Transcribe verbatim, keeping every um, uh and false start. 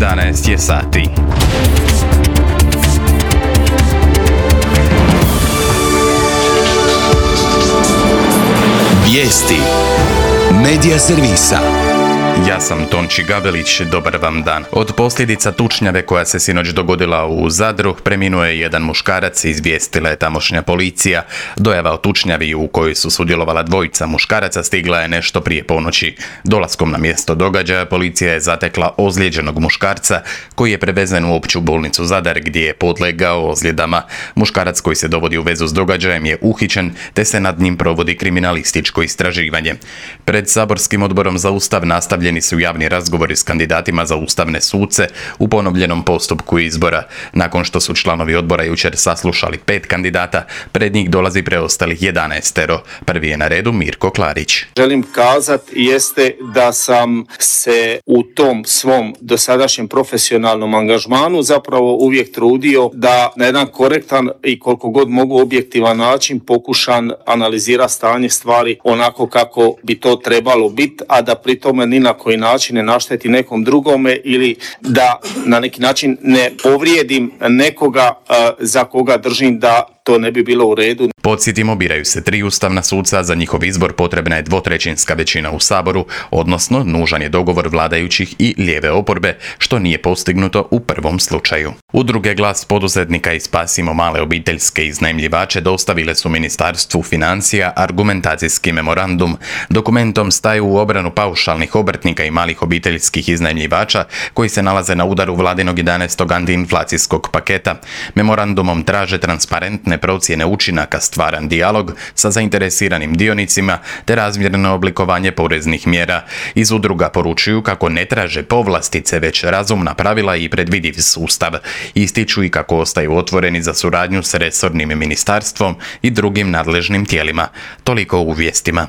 jedanaest je sati. Vijesti Medija servisa. Ja sam Tonči Gavelić, dobar vam dan. Od posljedica tučnjave koja se sinoć dogodila u Zadru preminuo je jedan muškarac, izvijestila je tamošnja policija. Dojava o tučnjavi u kojoj su sudjelovala dvojica muškaraca stigla je nešto prije ponoći. Dolaskom na mjesto događaja policija je zatekla ozlijeđenog muškarca koji je prevezen u opću bolnicu Zadar gdje je podlegao ozljedama. Muškarac koji se dovodi u vezu s događajem je uhićen te se nad njim provodi kriminalističko istraživanje. Pred saborskim odborom za Ustav nastavljeni su javni razgovori s kandidatima za ustavne suce u ponovljenom postupku izbora. Nakon što su članovi odbora jučer saslušali pet kandidata, pred njih dolazi preostalih jedanaestero. Prvi je na redu Mirko Klarić. Želim kazati jeste da sam se u tom svom dosadašnjem profesionalnom angažmanu zapravo uvijek trudio da na jedan korektan i koliko god mogu objektivan način pokušam analizirati stanje stvari onako kako bi to trebalo biti, a da pri tome ni na koji način ne našteti nekom drugome ili da na neki način ne povrijedim nekoga uh, za koga držim da to ne bi bilo u redu. Podsjetimo, biraju se tri ustavna suca, za njihov izbor potrebna je dvotrećinska većina u Saboru, odnosno nužan je dogovor vladajućih i lijeve oporbe, što nije postignuto u prvom slučaju. Udruge Glas poduzetnika i Spasimo male obiteljske iznajmljivače dostavile su Ministarstvu financija argumentacijski memorandum. Dokumentom staju u obranu paušalnih obrtnika i malih obiteljskih iznajmljivača koji se nalaze na udaru vladinog jedanaestog antiinflacijskog paketa. Memorandumom traže transparentne procjene učinaka, stvaran dijalog sa zainteresiranim dionicima te razmjerno oblikovanje poreznih mjera. Iz udruga poručuju kako ne traže povlastice, već razumna pravila i predvidiv sustav. Ističu i kako ostaju otvoreni za suradnju s resornim ministarstvom i drugim nadležnim tijelima. Toliko u vijestima.